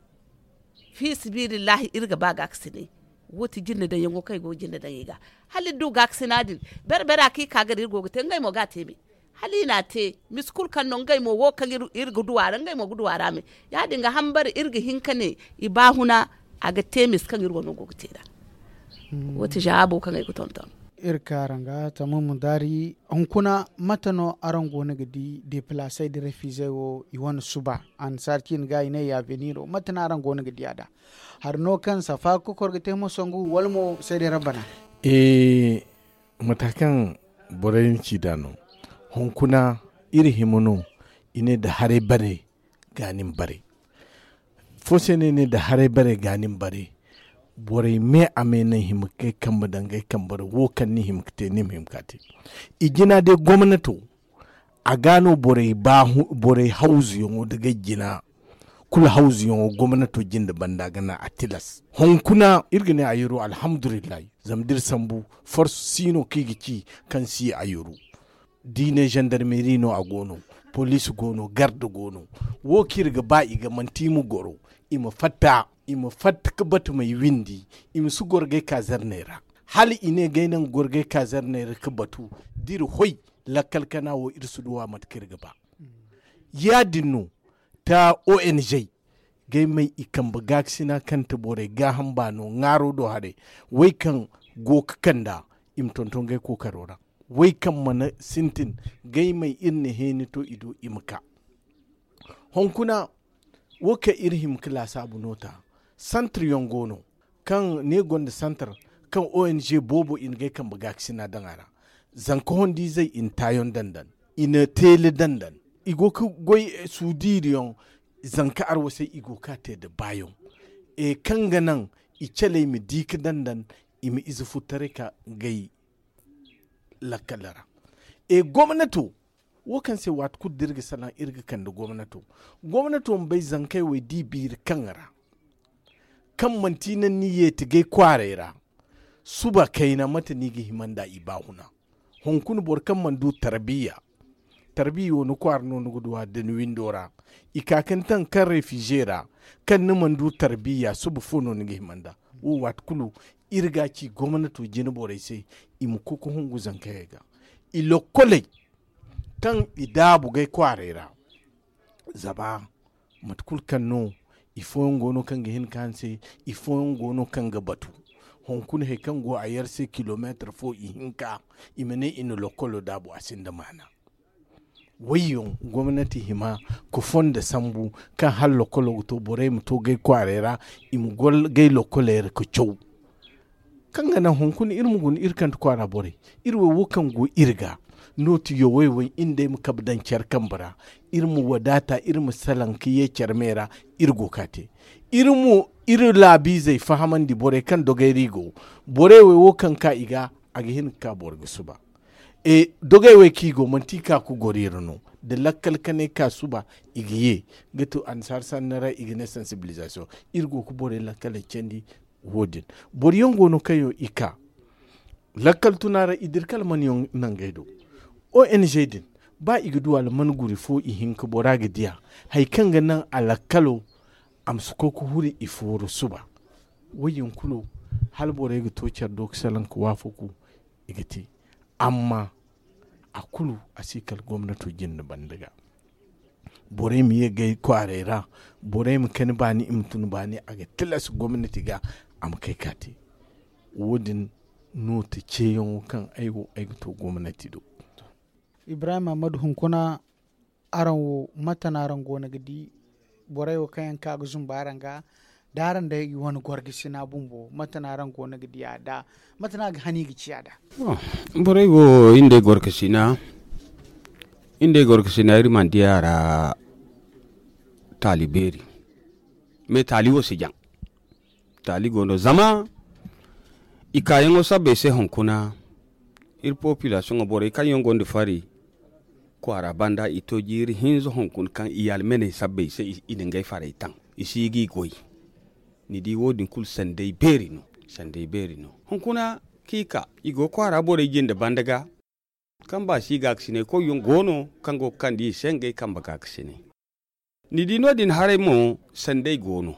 Fiisabilillahi iri ga ba gaakasinay. Wo ti jinde daŋ yaŋo kaŋ i go ga jinde daŋ i ga hala iri du gaakasina din. Berbera kaŋ i ka ga da iri go ga te ngey mo ga a te me hala i n'a te. Misi kulu kaŋ no ngey mo wo kaŋ iri ga du a ra ngey mo ga du a ra me. Ya- din ga hambare iri ga hin ka ne i baahuna a ga te misi kaŋ iri wano go ga te nd'a. Wo ti zaabo kaŋ ay ga tonton. Iri ka araŋ ga tamam daari hunkuna mate no araŋ go no ga di deplaasey nda refiizey wo i wane suba? Annasaara ciine ga i ne yaveniro mate no araŋ go no ga di a nd'a? Hari no kaŋ safa ga kokor ga te mo sangu wala mo seeday rabbana? Mata kaŋ borey ni ci nd'a no hunkuna iri hima no i ne nda haray bare ga ni ma bare. Fo se no ay ne nda haray bare ga ni ma bare. Borey me a me no ay hima ga ay kambe daŋ ga ay kambe ra wo kaŋ ni hima ga te ni ma hima ga a te. I jina day gomnato a ga no borey hawzuyaŋo nda ga ay jina kulu hawzuyaŋo gomnato jinde banda ga naŋ a tilas hunkuna iri ga ne ayuru alhamdulillahi. Zama da iri sambu forse si no kaŋ i ga ci kaŋ si ayuru. Da i ne zandarmeri no a go no, poliisi go no garde go no. Wo kaŋ iri ga ba i ga manti i ma goro i ma fatta i ma fatta ga batu ma i windi. I ma si goro ga ay kaazarney ra hala i ne ga ay naŋ goro ga ay kaazarney ra ga batu da iri hoy. Lakkal kana wo iri si duw'a mate kaŋ iri ga ba. Ya- din no ta ong ga ay may i kambe gaakasina kaŋ ti borey gaaham baano ŋaaro do haray. Way kaŋ go ga kand'a i ma tonton ga ay kookaro ra. Way kaŋ mana sintin ga ay may iri na heeni to i do i ma ka. Hunkuna wo kaŋ iri hima ga laasaabu no ta santir yaŋ go no kaŋ ne gonda santir kaŋ ong boobo i na ga ay kambe gaakasina daŋ a ra. Zanka hondiizey i na taayaŋ dandan i na teele dandan. I go ga goy suudiiriyaŋ zanka arwasay i go ga ka te nda baayaŋ kaŋ ga naŋ i caley ma di ga dandan i ma ize furtaray ka gay lakkal ra. Gomnato wo kaŋ se waati kulu da iri ga salaŋ iri ga kande gomnato. Gomnato ma bay zankey wo ay di biiri kaŋ ra kaŋ manti naŋ ni yeeti gay kwaaray ra. Suba kayna mate no i ga hima nd'a i baahuna? Hunkuna boro kaŋ mana du tarbiya tarbiya wo ni kwaara no ni ga du a da ni windo ra. I ka ga ni taŋ kaŋ refize ra kaŋ ni mana du tarbiya suba fo no ni ga hima nd'a? Wo waati kulu iri ga a ci gomnato jine borey se i ma koy ga hungu zankayey ga. I lokkoley kaŋ i daabu gay kwaaray ra zama Mate kulu kaŋ no ifooyaŋ go no kaŋ ga hin ka hanse, ifooyaŋ go no kaŋ ga batu. Hunkuna hari kaŋ go a yar se kilomeetar fo ihinka, i ma ne i na lokolo daabu a sinda maana. Wayyaŋ gomnati hima ka fondo sambu kaŋ hala lokolo ga to borey ma to gay kwaaray ra, i ma gol gay lokoley ra ka caw. Kaŋ ga naŋ hunkuna iri ma guna iri kante kwaara borey, iri wo wo kaŋ go iri ga, no ti yaway way iri nd'ey ma kabe daŋ care kambe ra. Iri ma wadaata, iri ma salaŋ ka ye care me ra. Iri go ka te, iri mo iri laabiizey fahamandi borey kaŋ dogay ra i go. Borey wo wo kaŋ ka i ga, a ga hin ka ka boro ga suba. Dogey wey kaŋ i go manti i ka ga goro iri no. Da lakkal kanay ka suba, i ga ye ga to annasaara sanni ra, i ga ne sansibilizasiyoŋ. Iri go ga borey lakkaley candi. Wo- din boro yaŋ go no kaŋ yaŋ i ka lakkal tuna ra i dira kala mana yaŋ nangey do. O n g din, ba i ga du alman guri fo i hinka bora ga diya. Hari kaŋ ga naŋ a lakkalo a ma si koy ga huri i fooro suba. Wo- din kulu, hala borey ga to care do ga salaŋ ga waafaku, i ga te. Amma a kulu a si kala gomnato jinde banda ga. Borey ma ye gay kwaaray ra, borey ma kani baani i ma tun baani, a ga tilas gomnati ga a ma kay ka te. Wo- din no ti ceeyaŋo kaŋ ay wo ay ga to gomnati do. Ibrahim ahmadu hunkuna, araŋ wo mate no araŋ go no ga di? Borey wo kaŋ yaŋ ka ga zumbu araŋ ga, da araŋ day i wane gorgasina bumbo, mate no araŋ go no ga di a da? Mate no a ga hani ga ci a da? Borey wo iri nd'ey gorgasina, iri nd'ey gorgasina iri mana di a ra. Taali beeri, me taali wo si jaŋ. Taali go no zama i kaayaŋo sabbay se hunkuna. Iri popilasiyoŋo borey kaŋ yaŋ gonda fari kwaara banda i to jiiri hinza hunkuna kaŋ i almeney sabbay se i na ngey farey taŋ. I si ga i goy. Ni di wo- din kulu sanday beeri no. Sanday beeri no. Hunkuna kaŋ i ka i go kwaara borey jinde banda ga. Kamba si gaakasinay koyyaŋ go no kaŋ go ga kande i se ngey kambe gaakasinay. Ni di no- din haray mo sanday go no.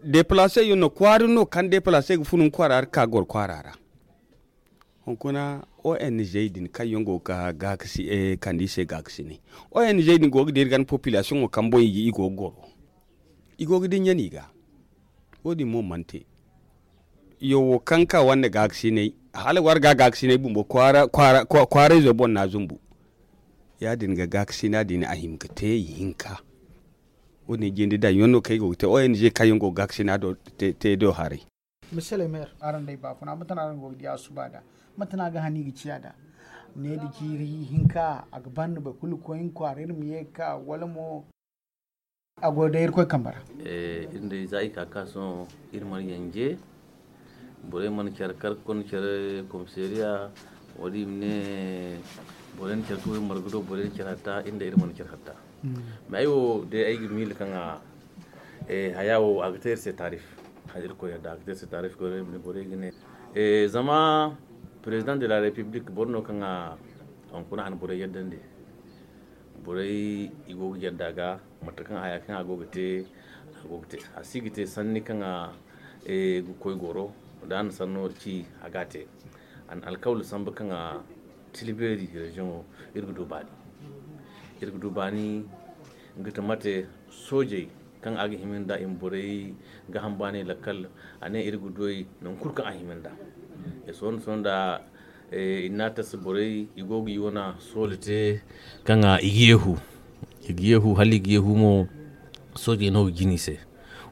Deplase yaŋ no kwaari no kaŋ deplase ga funu kwaara ra ka goro kwaara ra. Hunkuna o n g din kaŋ yaŋ go ga gaakasi kande i se gaakasinay. O n g din go ga dira ganda popilasiyoŋo kamboy i go ga goro. I go ga dinya no i ga. Wo- din mo mana te. Yo wo kaŋ ka wande gaakasinay, hala war ga gaakasinay bumbo kwaarayzo boŋ no a zumbu. Ya- din ga gaakasina din a hima ga te i hinka. Wo- din jinde daŋ yaŋ no kaŋ ay go ga te o n g kaŋ yaŋ go ga gaakasina te do haray. Misele meer, araŋ day baafuna mate no araŋ go ga di a suba da? Mate no a ga hani ga ciya da? Ne da jiiri hinka a ga ban no boro kulu ga koy nga kwaara iri ma ye ga ka wala mo? A go day irkoy kambe ra. Iri day za i ka ka sohõ iri mana yanje. Borey mana care kar ga konda care komisariya. Wala i ma ne borey na care ka way marga do borey na care hatta iri day iri mana care hatta. Mais ay wo day ay ga miila kaŋ a haya wo a ga te iri se taarif. Hala irkoy yadda a ga te iri se taarif. Borey ga ne zama president de la republique boro no kaŋ a hunkuna a na borey yaddandi. Borey i go ga yadda ga mate kaŋ haya kaŋ a go ga te. A go ga te a si ga te sanni kaŋ a ga koy goro. Da a na sanno ci a ga a te. A na alkawli sambu kaŋ a tilbeeri reziyoŋo iri ga du baani. Iri ga du baani ga ti mate soojey kaŋ a ga hima nda i ma borey ga hambaanay lakkal. A ne iri ga du ay nangu kulu kaŋ a hima nda. Sohõ sohõ nda i na a tasa borey i go ga i wane soole te kaŋ i ga yeehu. I ga yeehu hala i ga yeehu mo. Soojey no ga jina i se.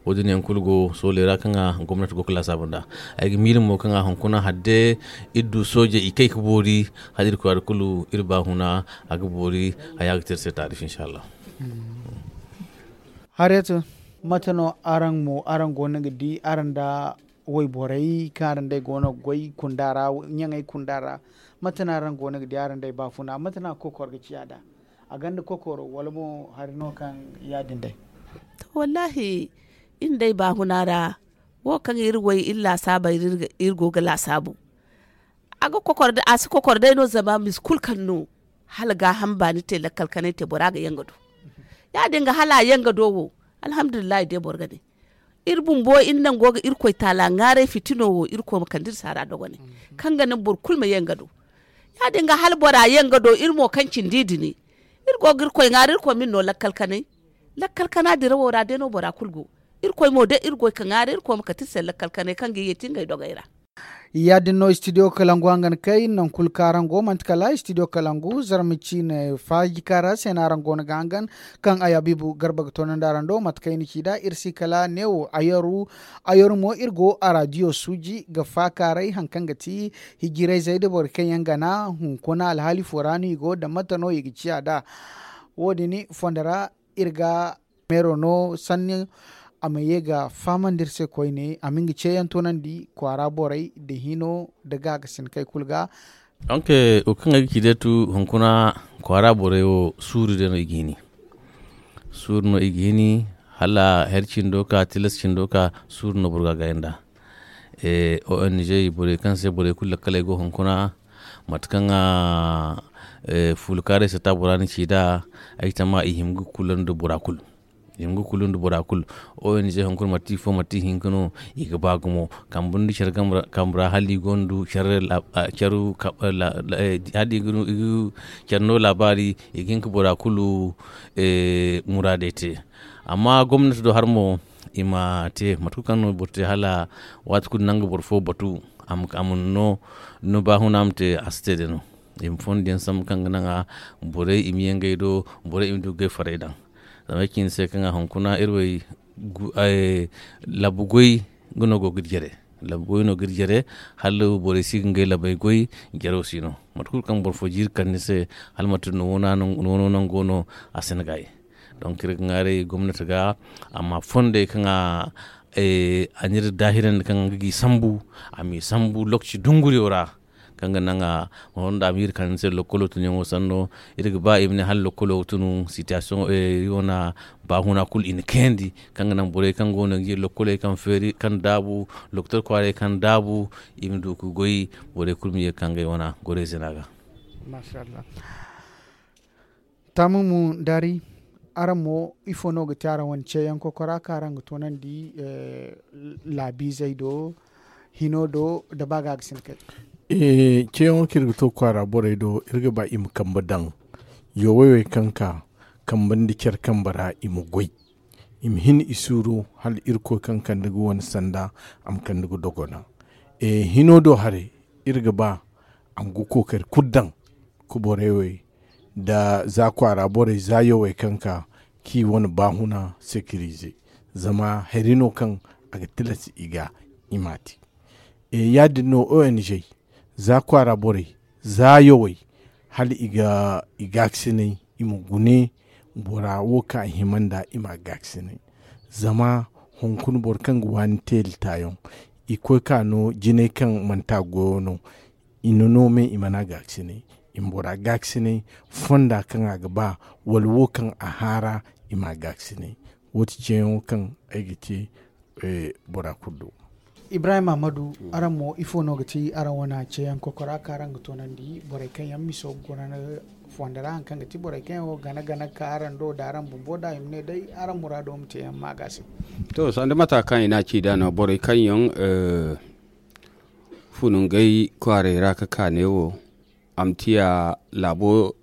Wo- din yaŋ kulu go sooley ra kaŋ a gomnati go ga laasaabu nda. Ay ga miila mo kaŋ a hunkuna hadde iri du soojey i kay ga boori hala iri kwaara kulu iri baahuna a ga boori. Haya ga te iri se taarif inshallah. Hariyatu, mate no araŋ mo araŋ go no ga di araŋ nda wayborey kaŋ araŋ day go no ga goy kunda ra ɲaŋey kunda ra? Mate no araŋ go no ga di araŋ day baafuna mate no a ga kokor ga ciya da? A gonda kokoro wala mo hari no kaŋ ya- din day? To wallaahi, iri day baafuna ra wo kaŋ iri way iri laasaabey ra iri go ga laasaabu. A ga kokor day a si kokor day no zama misi kulu kaŋ no hala gaaham baani te lakkal kanay te bora ga yaŋ ga do. Ya- din ga hala a yaŋ ga do wo, alhamdulillahi day boro ga ne iri bumbo iri naŋ go ga irkoy taala ŋwaaray fitino wo irkoy ma kande iri se a ra dogonay kaŋ ga naŋ boro kulu ma ye nga do. Ya- din ga hala bora ye nga do iri mo kaŋ cindi i dini iri go ga irkoy ŋwaari irkoy ma iri no lakkal kanay. Lakkal kana dirawo ra day no bora kulu go. Irkoy mo day iri goy ka ŋwaaray irkoy ma kate iri se lakkal kanay kaŋ ga i yeeti ngey dogey ra. Ya- din no studio kalangu hangan kay nangu kulu kaŋ araŋ go manti kala studio kalangu zarma ciine faajika ra se no araŋ go no ga hangan. Kaŋ ay habiibu garba ga toonandi araŋ do mate kaŋ i na ci nd'a iri si kala neewo. Ayaru mo iri go a raadiyo suuji ga faakaaray hari kaŋ ga ti hijirayzey nda borey kaŋ yaŋ gana hunkuna alhaali fo ra no i go nda mate no i ga ciya nd'a. Wo- din fondo ra iri ga meero no sanni a ma ye ga fahamandi iri se koyne a ma nga ceeyaŋ toonandi kwaara borey nda hino nda gaakasinakey kulu ga. Donk wo kaŋ ay ga ci day tu hunkuna kwaara borey wo suuru day no i ga hini. Suuru no i ga hini hala hari cindo ka tilas cindo ka suuru no boro ga a gaayi nd'a. Ong borey kaŋ se borey kulu lakkaley go hunkuna mate kaŋ fuulukaaray sata bora na ci nd'a. Ay tama i hima ga kula nda bora kulu. I hima ga kulu nda bora kulu. Ong hunkuna mate i fo mate i hinka no i ga ba gumo kambe nda care kambe ra hala i gonda care hala i ga care no laabaari i ga hin ka bora kulu muraadey te. Amma gomnati do har mo i ma te mate kulu kaŋ no boro te hala waati kulu nangu boro fo batu a ma no ni baahuna ma te a si te day no. I ma fondo yaŋ sambu kaŋ ga naŋ a borey i ma ye ngey do borey i ma du ga gay farey daŋ. Zama ay ci ni se kaŋ a hunkuna iri wo labu goy nga no go ga iri jare. Labu goy no ga iri jare hala borey si ga ngey labey goy. Jaro si no mate kulu kaŋ boro fo jiiri kande ni se hala manti ni wano nango no a si ni gaayi. Donk iri ga ŋwaaray gomnati ga a ma fondey kaŋ a n'iri daahirandi kaŋ a ga ga i sambu a m'i sambu lokaci dunguriyo ra. Kaŋ ga naŋ a ma honda a ma iri kande ni se lokkolo tunyaŋo sanno iri ga ba i ma ne hala lokkolo ga tunu sitiyasiyoŋo iri wana baahuna kulu i na kayandi kaŋ ga naŋ borey kaŋ go no ga ye lokkoley kaŋ feeri kaŋ daabu lokotor kwaaray kaŋ daabu i ma du ga goy. Borey kulu ma ye ga ka ngey wana gorey zina ga. Taamumu daari araŋ mo ifo no ga te araŋ wane ceeyaŋ kokora kaŋ araŋ ga toonandi laabiizey do hino do nda ba ga ga sinakey? Ceeyaŋo kaŋ iri ga to kwaara borey do iri ga ba i ma kambe daŋ yowey wey kaŋ ka kambe nda care kambe ra i ma goy i ma hin i suuru hala irkoy kaŋ kande ga wane sanda a ma kande ga dogona. Hino do haray iri ga ba a ma ga kookari kulu daŋ ka borey wey nda za kwaara borey za yawey kaŋ ka kaŋ i wane baahuna sekirize. Zama hari no kaŋ a ga tilas i ga i m'a te. Ya- din no ong za kwaara borey za yawey hala i ga i gaakasinay i ma gune bora wo kaŋ a hima nd'a i m'a gaakasinay. Zama hunkuna boro kaŋ ga waani teeli taayaŋ i koy ka no jinay kaŋ manti a goyo no. I na no me i mana gaakasinay i ma bora gaakasinay fonda kaŋ a ga ba wala wo kaŋ a haara i m'a gaakasinay. Wo- ti ceeyaŋo kaŋ ay ga te bora kulu do. Ibrahim ahmadu araŋ mo ifo no ga ti araŋ wane ceeyaŋ kokora kaŋ araŋ ga toonandi borey kaŋ yaŋ miso ga guna fonda ra hari kaŋ ga ti borey kaŋ yaŋ wo gana gana ga ka araŋ do nda araŋ bumbo nda i ma ne day araŋ muraado ma te yaŋ ma ga se. To sanda mata kaŋ i n'a ci nd'a no borey kaŋ yaŋ funu ngey kwaaray ra ka ka neewo a ma tiya laabo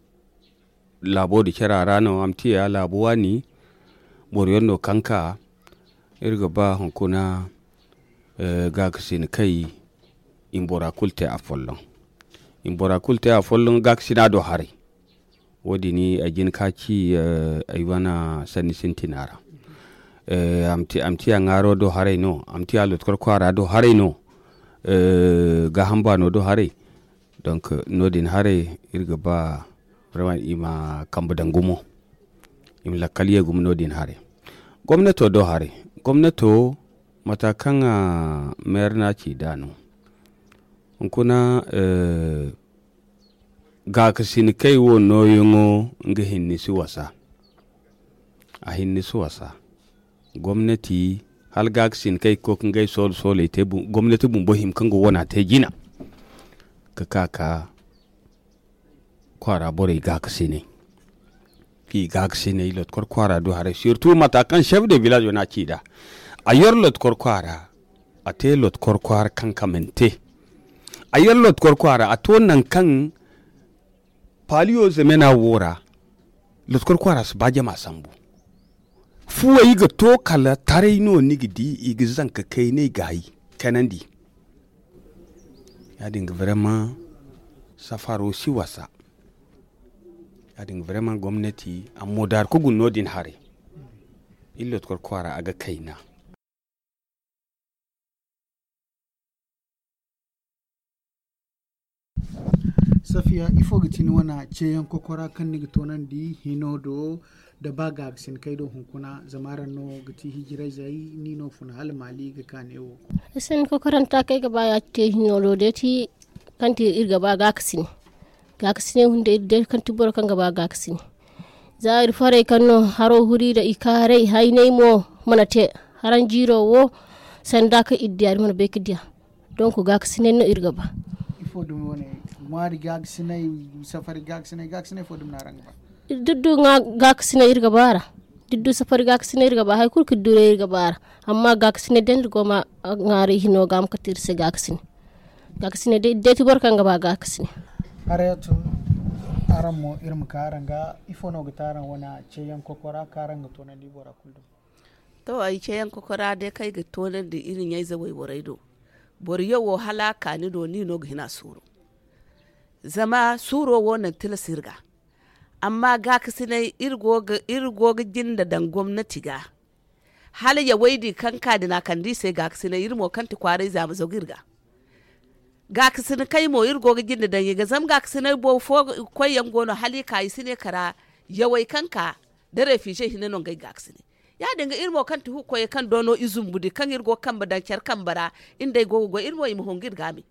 laabo nda cara ra no a ma tiya laabo waani. Boro yaŋ no kaŋ ka iri ga ba hunkuna gaakasina kay i ma bora kulu te afolloŋ. I ma bora kulu te afolloŋ gaakasina do haray. Wo- din ay jin ka ci ay wane sanni sintina ra. A ma tiya ŋaaro do haray no a ma tiya lotkor kwaara do haray no. Gaaham baano do haray. Donk no- din haray iri ga ba i ma kambe daŋ gumo i ma lakkal ye gumo no- din haray. Gomnato do haray gomnato mata kaŋ meera no a ci nd'a no hunkuna gaakasin kay wo nooyaŋo nga hinne si wasa. A hinne si wasa gomnati hala gaakasin kay ga koy ka ngey soolo sooley te gomnati bumbo hima kaŋ ga wana te jina ka ka ka kwaara borey gaakasiney. Kaŋ i gaakasiney lotkor kwaara do haray sirtu mata kaŋ chef de village wane a ci nd'a a yer lotkor kwaara a te lotkor kwaara kaŋ kamante. A yer lotkor kwaara a to nangu kaŋ paaliyo zemena wo ra. Lotkor kwaara si ba jama sambu Fuwey ga to kala taray no ni ga di i ga zanka kaynay gaayi kanandi. Ya- din ga vraiment safaro si wasa. Ya- din ga vraiment gomnati a mo daaru ka guna no- din haray. Iri lotkor kwaara a ga kayna. Safiya, ifo ga ti ni wane ceeyaŋ kokora kaŋ ni ga toonandi hino do? Da ba gaakasin kay do hunkuna zama araŋ no ga ti hijirayzey ni no funa hala maali ga ka neewo. Ay sinda kokoranta kaŋ ay ga ba ya te hino do day ti kaŋ ti iri ga ba gaakasine. Gaakasine hunday iri day kaŋ ti boro kaŋ ga ba gaakasine. Za iri farey kaŋ no haro huri nda i kaaray haynay mo mana te. Haraŋ jiiro wo sanda kaŋ iri diya iri mana bay ga diya. Donk gaakasinay no iri ga ba. Ifo dumi wane ŋwaari gaakasinay, safari gaakasinay gaakasinay fo dumi no araŋ ga ba? Diddu ŋwa gaakasinay iri ga ba a ra. Diddu safari gaakasinay iri ga ba hari kulu ka diddu day iri ga ba a ra. Amma gaakasinay day no iri go ma ŋwaaray hino ga ma kate iri se gaakasinay. Gaakasinay day iri day ti boro kaŋ ga ba gaakasinay. Harayatu, araŋ mo iri ma ka araŋ ga ifo no ga te araŋ wane ceeyaŋ kokora kaŋ araŋ ga toonandi bora kulu do? To ay ceeyaŋ kokora day kaŋ ay ga toonandi iri ɲayze wayborey do. Boro yawo hala a ka ni do ni no ga hin a suuru. Zama suuro wo naŋ tilas iri ga. Amma gaakasinay iri go ga jinde daŋ gomnati ga. Hala yawey din kaŋ ka din a kande i se gaakasinay iri mo kaŋ ti kwaaray za ma zagu iri ga. Gaakasinay kay mo iri go ga jinde daŋ i ga zama gaakasinay boro fo koyyaŋ go no hala i ka i si ne kara. Yawey kaŋ ka da refize hinne no ngey gaakasinay. Ya- din ga iri mo kaŋ ti hukoyey kaŋ doono i zumbu di kaŋ iri go ga kambe daŋ care kambe ra. Iri nd'ey go ga goy iri mo i ma hongu iri ga a me.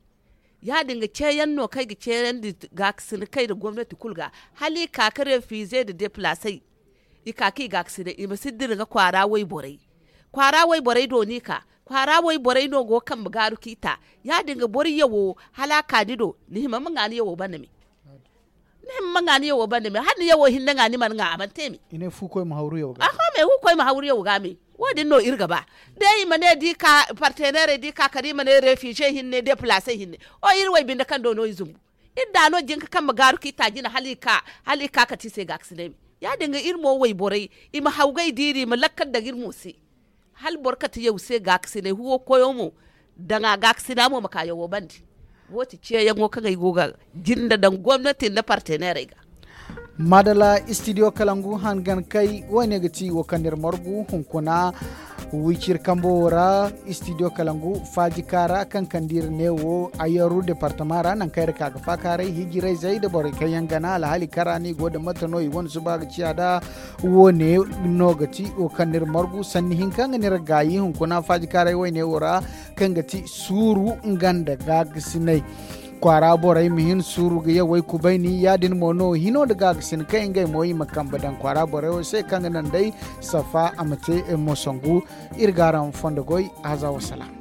Ya- din ga ceeyaŋ no kaŋ ay ga ceeyandi gaakasinay kay nda gomnati kulu ga hala i ka ga refize nda depilasey. I ka kaŋ i gaakasinay i ma si dira ga kwaara wayborey. Kwaara wayborey do no i ka kwaara wayborey no go ga kambe gaaru kaŋ i ta. Ya- din ga boro yawo hala a ka ni do ni hima ma ŋwa ni yawo banda me. Ni hima ma ŋwa ni yawo banda me hala ni yawo hinne ŋwa ni mana ŋwa a mana te me. Aho me hukoy ma hawru yawo ga me. Wo- din no iri ga ba. Day i ma ne da i ka parteneerey da i ka kala i ma ne refize hinne depilasey hinne. O iri waybinde kaŋ do no i zumbu. Iri da no jin ga kambe gaaru kaŋ i ta jina hala i ka kate i se gaakasinay me. Ya- din ga iri mo wayborey i ma hawgay diiri i ma lakkal daŋ iri mo se. Hala boro kate yaw se gaakasinay huwo koyo mo daŋ a gaakasina mo ma ka yawo bande. Wo- ti ceeyaŋo kaŋ ay go ga jinde daŋ gomnati nda parteneerey ga. Maadalla istidiyo kalangu hangan kay wo- ne ga ti wo kaŋ no iri margu hunkuna. Wiciri kambo wo ra istidiyo kalangu faaji kaara kaŋ kande iri neewo ayaru departama ra nangu kaŋ iri ka ga faakaaray hijirayzey nda borey kaŋ yaŋ gana alhaali kara no i go nda mate no i wane suba ga ciya nd'a. Wo- ne no ga ti wo kaŋ no iri margu sanni hinka nga no iri gaayi hunkuna faaji kaaray wayne wo ra kaŋ ga ti suuru nga nda gaagasinay. Kwaara borey ma hin suuru ga yawey kubayni ya- din mo no hino nda gaagasin kaŋ ngey mo i ma kambe daŋ kwaara borey wo se kaŋ ga naŋ day safa a ma te mosangu. Iri ga araŋ fondo goy. Haza wasalaam.